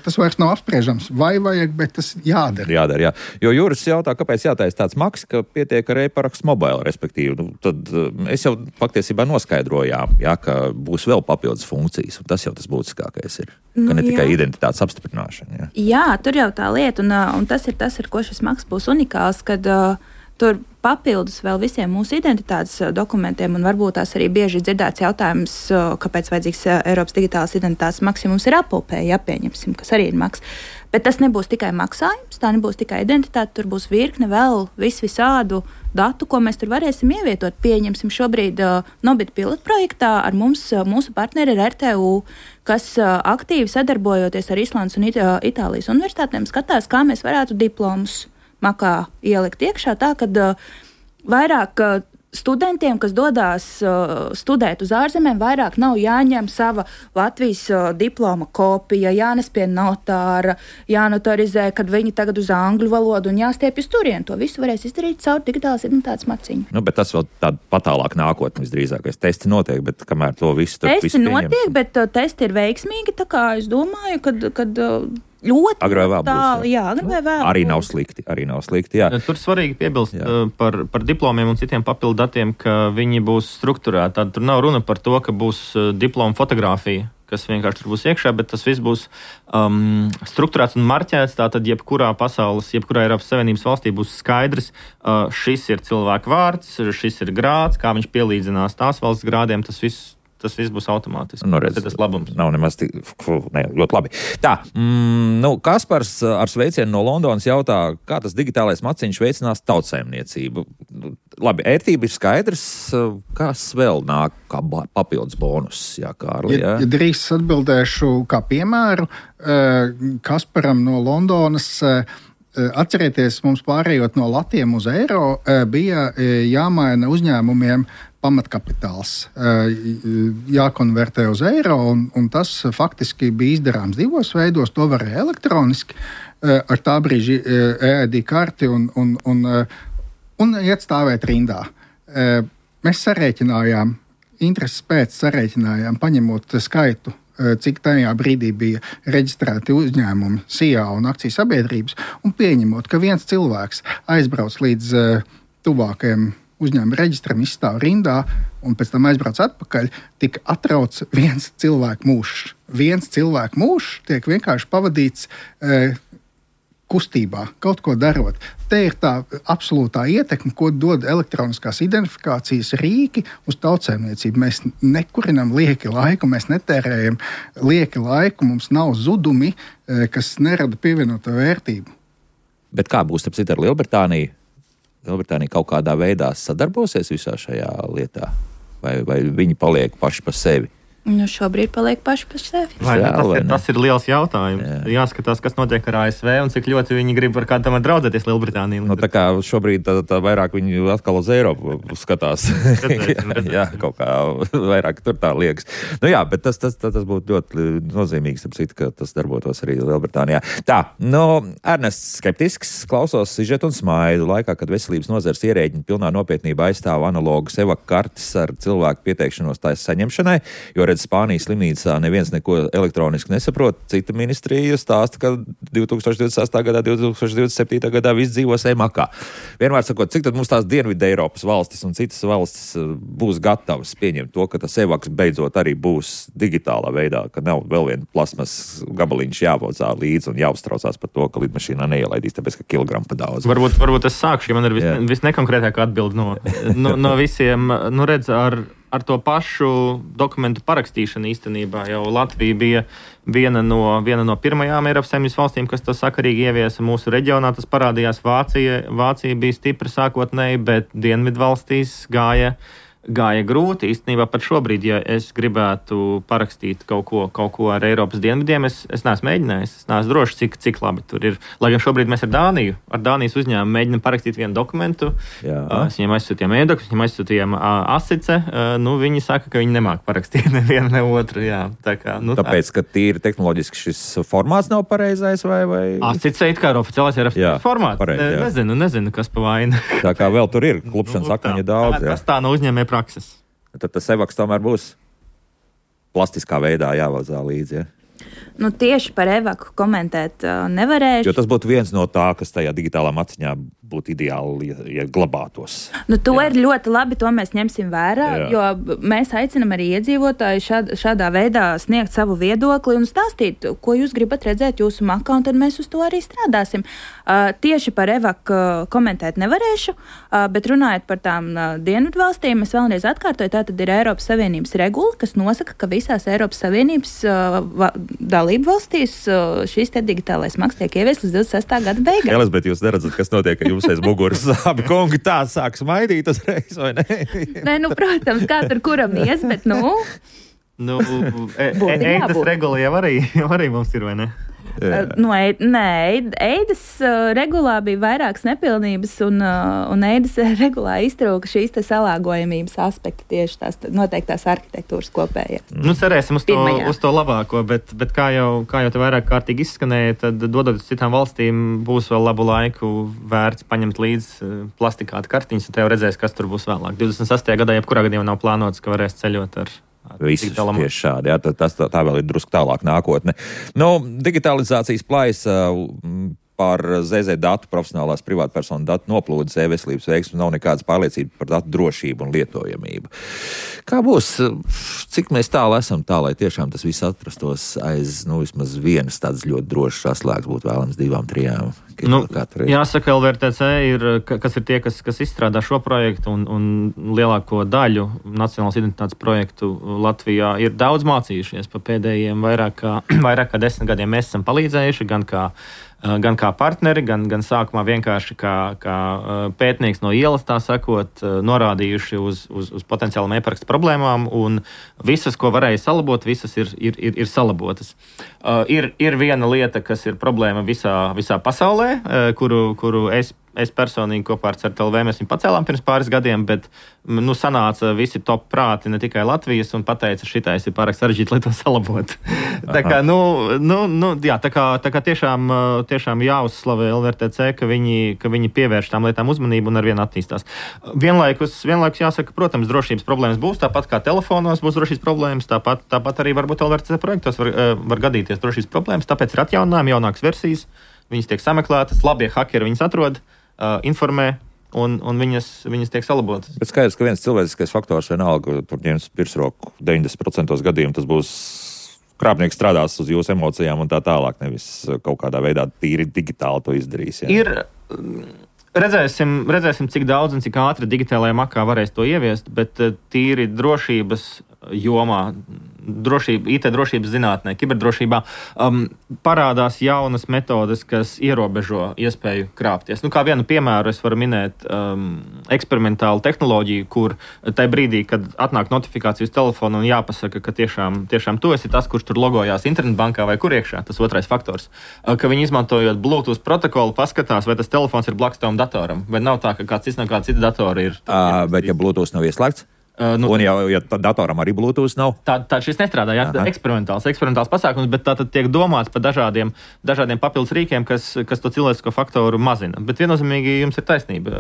Tas vairs nav apspriežams, vai vajag, bet tas jādara. Jādara, jā. Jo Juris jautā, kāpēc jātaisa tāds maks, ka pietiek ar e-parakstu mobile, respektīvi. Tad es jau patiesībā noskaidrojām, jā, ka būs vēl papildus funkcijas, un tas jau tas būtiskākais ir. Ka ne tikai identitātes apstiprināšana. Jā, tur jau tā lieta, un tas ir tas, ar ko šis maks būs unikāls, kad tur papildus vēl visiem mūsu identitātes dokumentiem, un varbūt tās arī bieži dzirdēts jautājums, kāpēc vajadzīgs Eiropas digitālās identitātes maksimums ir apupē, pieņemsim, kas arī ir maks. Bet tas nebūs tikai maksājums, tā nebūs tikai identitāte, tur būs virkne vēl visādu datu, ko mēs tur varēsim ievietot. Pieņemsim šobrīd Nobit pilotprojektā ar mūsu partneri ir RTU, kas aktīvi sadarbojoties ar Islandes un Itālijas universitātēm skatās, kā mēs varētu diplomus makā ielikt iekšā tā, kad vairāk studentiem, kas dodās studēt uz ārzemēm, vairāk nav jāņem sava Latvijas diploma kopija, jānes pie notāra, jānotarizē, kad viņi tagad uz angļu valodu un jāstiepjas turien. To visu varēs izdarīt caur digitālas identitātes maciņu. Bet tas vēl tāda patālāk nākotne visdrīzākais. Testi notiek, bet kamēr to visu tur visu notiek, bet testi ir veiksmīgi, tā kā es domāju, kad ļoti tālu, jā, agrāk vai vēl. Arī nav slikti, jā. Tur svarīgi piebilst par diplomiem un citiem papildu datiem, ka viņi būs strukturēti. Tad tur nav runa par to, ka būs diploma fotografija, kas vienkārši tur būs iekšā, bet tas viss būs strukturēts un marķēts. Tātad jebkurā Eiropas Savienības valstī būs skaidrs, šis ir cilvēka vārds, šis ir grāds, kā viņš pielīdzinās tās valsts grādiem, tas viss būs automātiski. Tas labums. Nav nemaz ļoti labi. Tā, Kaspars ar sveicienu no Londonas jautā, kā tas digitālais maciņš veicinās tautsaimniecību. Labi, ērtība ir skaidrs, kas vēl nāk kā papildus bonus, Kārli? Ja drīz atbildēšu kā piemēru Kasparam no Londonas. Atcerieties, mums pārējot no latiem uz eiro, bija jāmaina uzņēmumiem pamatkapitāls, jākonvertē uz eiro, un tas faktiski bija izdarāms divos veidos. To varēja elektroniski ar tā brīža EID karti un iet stāvēt rindā. Mēs sarēķinājām, intereses pēc sarēķinājām, paņemot skaitu, cik tajā brīdī bija reģistrēti uzņēmumi, SIA un akciju sabiedrības, un pieņemot, ka viens cilvēks aizbrauc līdz tuvākajam uzņēmuma reģistram, izstāv rindā un pēc tam aizbrauc atpakaļ, tika atrauc viens cilvēku mūžs. Viens cilvēku mūžs tiek vienkārši pavadīts kustībā, kaut ko darot. Te ir tā absolūtā ietekme, ko dod elektroniskās identifikācijas rīki uz tautsēmniecību. Mēs nekurinam lieki laiku, mēs netērējam lieki laiku, mums nav zudumi, kas nerada pievienoto vērtību. Bet kā būs ar Lielbritāniju? Lielbritānija kaut kādā veidā sadarbosies visā šajā lietā? Vai viņi paliek paši pa sevi? Šobrīd paliek paši par sevi. Tas ir liels jautājums. Jāskatās, kas notiek ar ASV un cik ļoti viņi grib ar kādam draudzēties Lielbritāniju. Tā kā šobrīd tā vairāk viņi atkal uz Eiropu skatās. Jā, kaut kā vairāk tur tā liekas. Bet tas būtu ļoti nozīmīgs, ka tas darbotos arī Lielbritānijā. Tā, Ernests skeptisks, klausos sižetu un smaidu laikā, kad veselības nozares ierēģiņi pilnā nopietnībā aizstāv analogas evak kartes ar cilvēku pieteikšanos tās saņemšanai, jo redz, Spānijas slimnīcā neviens neko elektroniski nesaprot. Cita ministrija stāsta, ka 2028. gadā, 2027. gadā viss dzīvos e-makā. Vienmēr sakot, cik tad mums tās Dienvidu Eiropas valstis un citas valstis būs gatavas pieņemt to, ka tas e-vaks beidzot arī būs digitālā veidā, ka nav vēl viena plasmas gabaliņš jāvocā līdzi un jāuztraucās par to, ka lidmašīnā neielaidīs, tāpēc, ka kilogramu pa daudz. Varbūt es sākšu, ja man ir visnekonkrētākā atbilde no visiem. Nu, redz, ar to pašu dokumentu parakstīšanu īstenībā jau Latvija bija viena no pirmajām Eiropas Savienības valstīm, kas to sakarīgi ieviesa mūsu reģionā. Tas parādījās Vācija bija stipra sākotnēji, bet Dienvidu valstīs gāja grūti. Īstenībā pat šobrīd, ja es gribētu parakstīt kaut ko ar Eiropas dienvidiem, es neesmu mēģinājis. Es neesmu drošs, cik labi tur ir. Lai gan šobrīd mēs ar Dānijas uzņēmumu mēģinām parakstīt vienu dokumentu. Es viņiem aizsūtījām ēdokus, viņiem aizsūtījām asice. Viņi saka, ka viņi nemāk parakstīt nevienu, ne otru. Jā. Tāpēc, ka tīri tehnoloģiski šis formāts nav pareizais vai? Asice it kā ir oficiālais Eiropas formāts. Nezinu, kas pa vainu. Tā kā vēl tur ir klupšanas akmeņu daudz. Tas tā no uzņēmē prakses. Tad tas e-vaks tomēr būs plastiskā veidā jāvazā līdzi, ja? Tieši par e-vaku komentēt nevarēšu. Jo tas būtu viens no tā, kas tajā digitālā maciņā būtu ideāli, ja glabātos. To ir ļoti labi, to mēs ņemsim vērā, jo mēs aicinam arī iedzīvotāju šādā veidā sniegt savu viedokli un stāstīt, ko jūs gribat redzēt jūsu makā, un tad mēs uz to arī strādāsim. Tieši par e-vaku komentēt nevarēšu, bet runājot par tām dienvidu valstīm, es vēlreiz atkārtoju, tā tad ir Eiropas Savienības regula, kas nosaka, ka visās Eiropas Savienības dalību valstīs šīs te digitālais maks tiek ievies līdz 26. gada beigām. Elizabete, jūs neredzat, kas notiek, ka jums aiz muguras abi kungi tā sāk smaidīt uzreiz, vai ne? Nē, protams, kā tur kuram ies, bet Eidas regula jau arī mums ir, vai ne? Eidas regulā bija vairākas nepilnības, un Eidas regulā iztrūka šīs te salāgojamības aspekti, tieši tās noteiktās arhitektūras kopējā. Cerēsim uz to labāko, bet kā jau te vairāk kārtīgi izskanēja, tad dodoties citām valstīm būs vēl labu laiku vērts paņemt līdzi plastikāta kartiņas, un te jau redzēs, kas tur būs vēlāk. 28. gadā jebkurā gadījumā nav plānots, ka varēs ceļot ar visus tieši šādi, jā, tā vēl ir drusku tālāk nākotne. Digitalizācijas plaisa par ZZ datu, profesionālās privātpersonu datu noplūdes e-veselības veiksmu nav nekādas pārliecības par datu drošību un lietojamību. Kā būs, cik mēs tālu esam tā, lai tiešām tas viss atrastos aiz, vismaz vienas tādas ļoti drošas saslēgas, būtu vēlams 2-3. Jāsaka, LVRTC kas ir tie, kas izstrādā šo projektu un lielāko daļu nacionālas identitātes projektu Latvijā ir daudz mācījušies pa pēdējiem vairāk kā 10 gadiem. Mēs esam palīdzējuši gan kā partneri, gan sākumā vienkārši kā pētnieks no ielas, tā sakot, norādījuši uz potenciālām e-parakstu problēmām, un visas, ko varēja salabot, visas ir salabotas. Ir viena lieta, kas ir problēma visā pasaulē, kuru es personīgi kopā ar CERT.LV mēs viņu pacēlām pirms pāris gadiem, bet sanāca visi top prāti ne tikai Latvijas un pateica, šitais ir pārāk sarežģīti, lai to salabot. Tā kā tiešām jāuzslavē LVRTC, ka viņi pievērš tām lietām uzmanību un arvien attīstās. Vienlaikus jāsaka, protams, drošības problēmas būs, tāpat kā telefonos būs drošības problēmas, tāpat arī varbūt LVRTC projektos var gadīties drošības problēmas, tāpēc ir atjauninājumi, jaunākas versijas, viņas tiek sameklētas, labie hakeri viņas atrod, informē, un viņas tiek salabotas. Bet skaidrs, ka viens cilvēciskais faktors vienalga, tur ņems pirsroku 90% gadījumu, tas būs krāpnieks strādās uz jūsu emocijām un tā tālāk, nevis kaut kādā veidā tīri digitāli to izdarīs. Jā. Redzēsim, cik daudz un cik ātri digitālajā makā varēs to ieviest, bet tīri drošības jomā, IT drošības zinātnē, kiberdrošībā parādās jaunas metodes, kas ierobežo iespēju krāpties. Kā vienu piemēru es varu minēt eksperimentālu tehnoloģiju, kur tajā brīdī, kad atnāk notifikācija uz telefonu un jāpasaka, ka tiešām tu esi tas, kurš tur logojās internetbankā vai kur iekšā, tas otrais faktors, ka viņi izmantojot Bluetooth protokolu paskatās, vai tas telefons ir blakus tavam datoram, vai nav tā, ka kāds cits no kāda cita datora ir. Bet ja Bluetooth nav ieslēgts? Un ja datoram arī Bluetooth nav? Tā šis nestrādā, eksperimentāls pasākums, bet tā tad tiek domāts par dažādiem papildus rīkiem, kas to cilvēcisko faktoru mazina. Bet viennozīmīgi jums ir taisnība.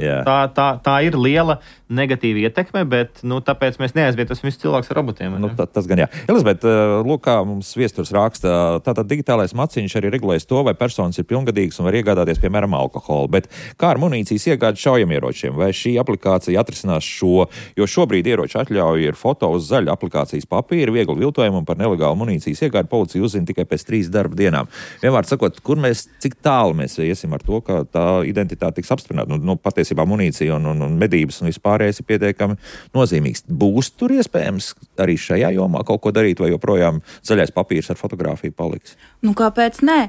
Tā ir liela negatīva ietekme, bet tāpēc mēs neaizvietosim visus cilvēkus ar robotiem. Tas gan jā. Elizabet, lūk, kā mums viesturs raksta, tātad digitālais maciņš arī regulēs to, vai personas ir pilngadīgas un var iegādāties, piemēram, alkoholu. Bet kā ar munīcijas iegādi šaujamieročiem? Vai šī aplikācija atrisinās šo, jo šobrīd ieroči atļauja ir foto uz zaļa aplikācijas papīra, viegli viltojumu un par nelegālu munīcijas iegādi policija uzzina tikai pēc 3 darba dienām. Vienmēr sakot, cik tālu mēs iesim ar to, ka tā identitāte tiks apstiprināta? Patiesībā munīcija un medības un vispārējais ir pietiekami nozīmīgs. Būs tur iespējams arī šajā jomā kaut ko darīt, vai joprojām zaļais papīrs ar fotogrāfiju paliks? Kāpēc nē?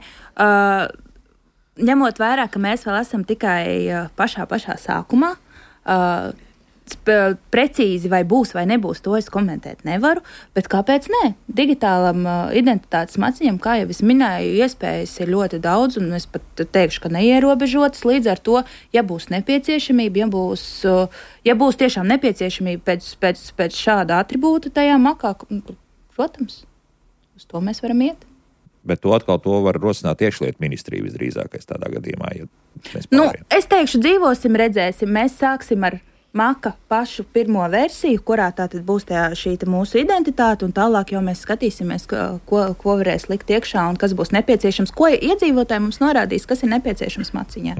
Ņemot vērā, ka mēs vēl esam tikai pašā sākumā, precīzi vai būs vai nebūs, to es komentēt nevaru, bet kāpēc nē? Digitālam identitātes maciņam, kā jau es minēju, iespējas ir ļoti daudz, un es pat teikšu, ka neierobežotas. Līdz ar to, ja būs nepieciešamība, ja būs tiešām nepieciešamība pēc šāda atribūta tajā makā, protams, uz to mēs varam iet. Bet to var rosināt iekšlietu ministrija visdrīzākais tādā gadījumā. Es teikšu, dzīvosim, redzēsim, mēs sāksim ar Maka pašu pirmo versiju, kurā tātad būs šī mūsu identitāte, un tālāk jau mēs skatīsimies, ko varēs likt iekšā un kas būs nepieciešams, ko iedzīvotāji mums norādīs, kas ir nepieciešams maciņā.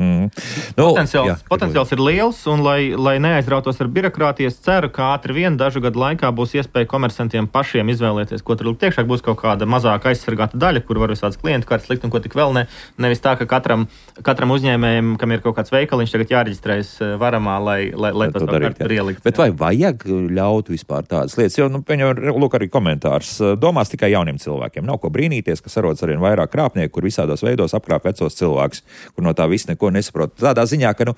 Potenciāls ir liels, un lai neaizrautos ar birokrātijas, ceru, ka ātri vien dažu gadu laikā būs iespēja komersantiem pašiem izvēlēties, ko tur likt iekšā, būs kaut kāda mazāk aizsargāta daļa, kur var visādas klientu kartes likt un ko tik vēl ne. Nevis tā, ka katram uzņēmējam, kam ir kaut kāds veikaliņš, tagad jāreģistrējas varamā, lai tas Bet vai vajag ļaut vispār tādas lietas? Jo, lūk, arī komentārs. Domās tikai jauniem cilvēkiem. Nav ko brīnīties, ka sarodas arvien vairāk krāpnieku, kur visādos veidos apkrāp vecos cilvēkus, kur no tā viss neko nesaprot. Tādā ziņā, ka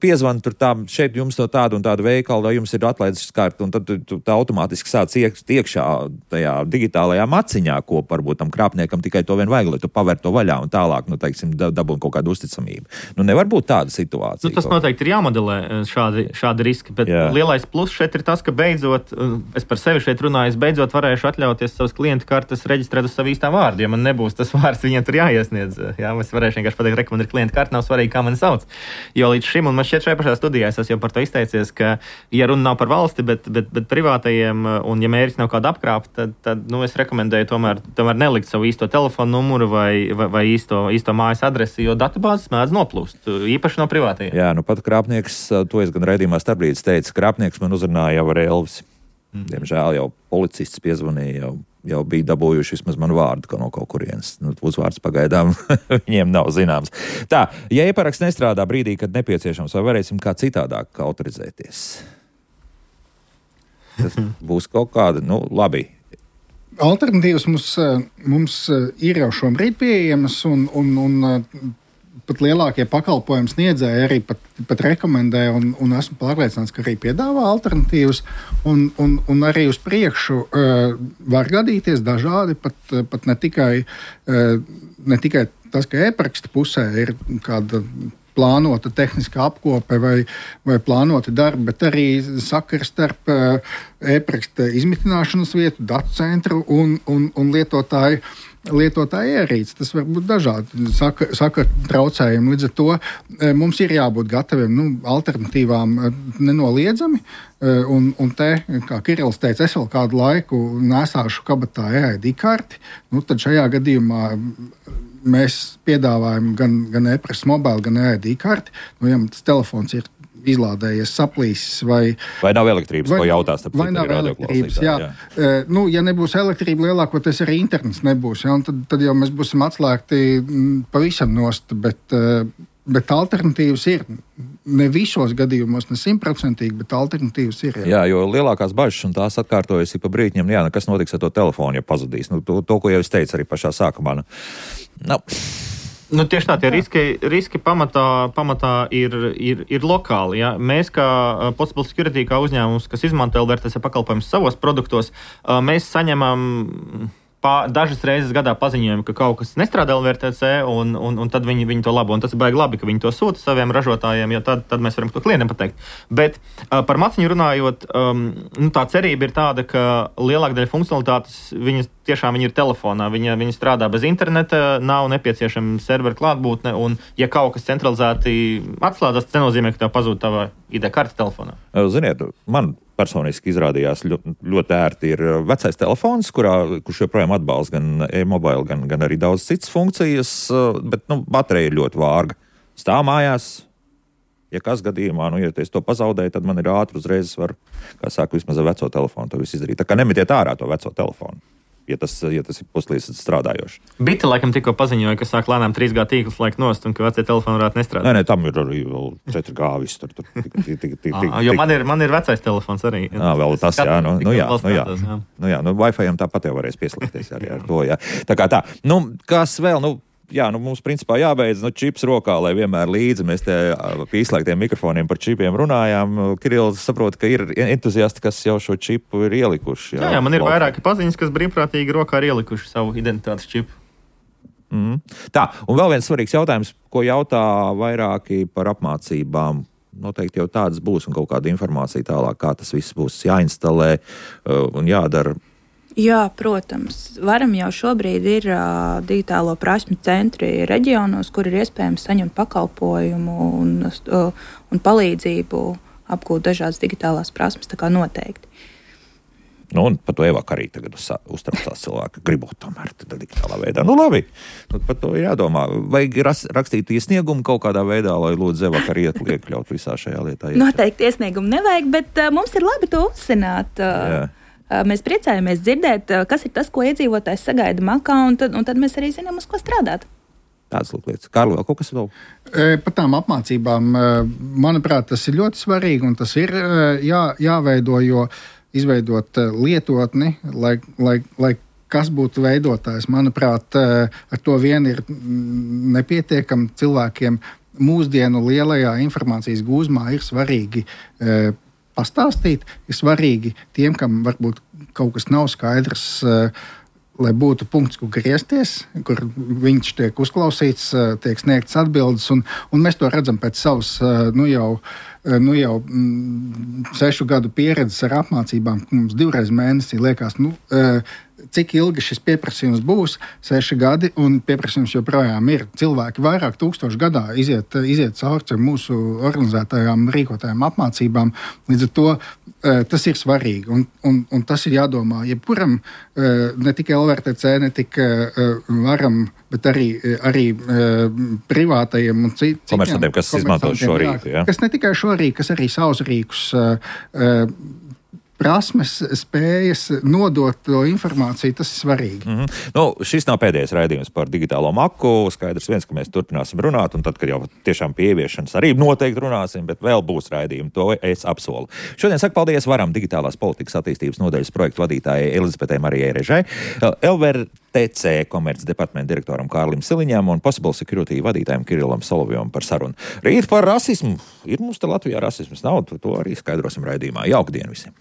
piezvan tur šeit jums no tādu un tādu veikalu, vai jums ir atlaides karta, un tad tā automātiski sāc iekšā tajā digitālajā maciņā, ko varbūt tam krāpniekam tikai to vien vajag, lai tu paver to vaļā un tālāk, dabūn kaut kādu uzticamību. Nevar būt tāda situācija. Tas noteikti ir jāmodelē šādi riski. Bet lielais pluss šeit ir tas, ka beidzot, es par sevi šeit runāju, es beidzot varēšu atļauties savas klientu kartes reģistrēt uz savu īstā vārdu, ja man nebūs tas vārds, viņiem tur jāiesniedz. Es varēšu vienkārši pateikt, man ir klientu karte, nav svarīgi, kā mani sauc. Jo līdz šim, un man šķiet šajā pašā studijā, es jau par to izteicies, ka, ja runa nav par valsti, bet privātajiem, un ja mērķis nav kāda apkrāpa, tad es rekomendēju tomēr nelikt savu īsto telefonu numuru vai īsto mājas adresi, jo datubāzes mēdz noplūst, īpaši no privātajiem. Jā, pat krāpnieks, to es gan raidījumā starpbrīdis teica, krāpnieks man uzrunāja jau ar Elvisi. Diemžēl jau policists piezvanīja, jau bija dabūjuši vismaz manu vārdu no kaut kurienes. Uzvārds pagaidām viņiem nav zināms. Tā, ja e-paraksts nestrādā brīdī, kad nepieciešams, vai varēsim kā citādāk autorizēties? Tas būs kaut kāda, labi. Alternatīvas mums ir jau šobrīd pieejamas un pat lielākie pakalpojumu sniedzēji arī pat rekomendē un esmu pārliecināts, ka arī piedāvā alternatīvas un arī uz priekšu var gadīties dažādi, pat ne tikai tas, ka e-paraksta pusē ir kāda plānota tehniska apkope vai plānoti darbi, bet arī sakars starp e-paraksta izmitināšanas vietu, datu centru un lietotāju ierīci. Tas var būt dažādi saka traucējumi. Līdz ar to mums ir jābūt gataviem alternatīvām nenoliedzami. Un te, kā Kirillis teica, es vēl kādu laiku nesāšu kabatā EID karti. Tad šajā gadījumā mēs piedāvājam gan e-paraksta mobile, gan EID karti. Ja tas telefons ir izlādējies, saplīsis vai nav elektrības, ko jautās. Vai nav elektrības, jā. Ja nebūs elektrība, lielākoties arī internets nebūs, ja, tad jau mēs būsim atslēgti pavisam nost, bet alternatīvas ir. Ne visos gadījumos, ne 100%, bet alternatīvas ir. Jā, jo lielākās bažas, un tās atkārtojas pa brītņiem, kas notiks ar to telefonu, ja pazudīs. To, ko jau es teicu arī pašā sākumā. Tieši tā, tie riski pamatā ir lokāli. Ja? Mēs, kā Possible Security, kā uzņēmums, kas izmanto LDRTS pakalpojumus savos produktos, mēs saņemam dažas reizes gadā paziņojumi, ka kaut kas nestrādā LVRTC, un tad viņi to labo. Un tas ir baigi labi, ka viņi to sūta saviem ražotājiem, jo tad mēs varam to klientam pateikt. Bet par maciņu runājot, tā cerība ir tāda, ka lielāka daļa funkcionalitātes viņi ir telefonā. Viņi strādā bez interneta, nav nepieciešama servera klātbūtne, un ja kaut kas centralizēti atslēdzas, tas nenozīmē, ka tev pazūd tava ID karte telefonā. Ziniet, man personiski izrādījās ļoti ērti ir vecais telefons, kurš joprojām atbalsta gan e-mobile, gan arī daudz citas funkcijas, bet baterija ir ļoti vārga. Stāv mājās, ja kas gadījumā, ja es to pazaudēju, tad man ir ātri uzreiz var, kā saka, vismaz ar veco telefonu to visu izdarīt. Tā kā nemetiet ārā to veco telefonu. Ja tas ir puslīdz strādājoši. Bita laikam tikko paziņoja, ka sāk lēnām 3G tīklus laik nost un ka vecie telefoni varētu nestrādāt. Nē, tam ir arī vēl 4G viss tur. Jo man ir vecais telefons arī. Vēl tas, jā. Wi-Fi-am tāpat jau varēs pieslēgties arī ar to, jā. Tā kā tā. Kas vēl, mums principā jābeidz čips rokā, lai vienmēr līdzi mēs te pie izslēgtiem mikrofoniem par čipiem runājām. Kirills saprot, ka ir entuziasti, kas jau šo čipu ir ielikuši. Jā, man ir vairāki paziņas, kas brīvprātīgi rokā ir ielikuši savu identitātes čipu. Tā, un vēl viens svarīgs jautājums, ko jautā vairāki par apmācībām. Noteikti jau tādas būs un kaut kāda informācija tālāk, kā tas viss būs jāinstalē un jādara. Jā, protams. Varam jau šobrīd ir digitālo prasmi centri reģionos, kur ir iespējams saņemt pakalpojumu un palīdzību apgūt dažādas digitālās prasmes, tā kā noteikti. Un par to Evaka arī tagad uztraucās cilvēki, gribot tomēr digitālā veidā. Labi, par to jādomā. Vajag rakstīt iesniegumu kaut kādā veidā, lai lūdzu Evaka arī iekļaut visā šajā lietā. Noteikti iesniegumu nevajag, bet mums ir labi to uzzināt. Mēs priecājamies dzirdēt, kas ir tas, ko iedzīvotājs sagaida makā, un tad mēs arī zinām, uz ko strādāt. Tādas lietas. Kārli, vēl kaut kas vēl? Par tām apmācībām, manuprāt, tas ir ļoti svarīgi, un tas ir jāveido, jo izveidot lietotni, lai kas būtu veidotājs. Manuprāt, ar to vien ir nepietiekami cilvēkiem mūsdienu lielajā informācijas gūzmā ir svarīgi pastāstīt, ir svarīgi tiem, kam varbūt kaut kas nav skaidrs, lai būtu punkts, kur griezties, kur viņš tiek uzklausīts, tiek sniegts atbildes, un mēs to redzam pēc savas, jau 6 gadu pieredzes ar apmācībām, mums 2 reizes mēnesī liekas, cik ilgi šis pieprasījums būs, 6 gadi, un pieprasījums joprojām ir. Cilvēki vairāk tūkstoši gadā iziet cauri mūsu organizētajām rīkotajām apmācībām. Līdz ar to tas ir svarīgi, un tas ir jādomā jebkuram, ne tikai LVRTC, ne tikai varam, bet arī privātajiem un citiem. Komersantiem, kas izmanto šo rīku, jā? Kas ne tikai šo rīku, kas arī savus rīkus prasmes, spējas nodot to informāciju, tas ir svarīgi. Šis nav pēdējais raidījums par digitālo maku. Skaidrs viens, ka mēs turpināsim runāt, un tad, kad jau tiešām pie ieviešanas arī noteikti runāsim, bet vēl būs raidījumi, to es apsolu. Šodien saku paldies Varam digitālās politikas attīstības nodaļas projektu vadītājai Elizabetei Marijai Režai, LVRTC komerces departamenta direktoram Kārlim Siliņam un Possible Security vadītājiem Kirillam Solovjam par sarunu. Rīt par rasismu. Ir mums te Latvijā rasisms? Nav, to arī skaidrosim raidījumā. Jauka diena visiem!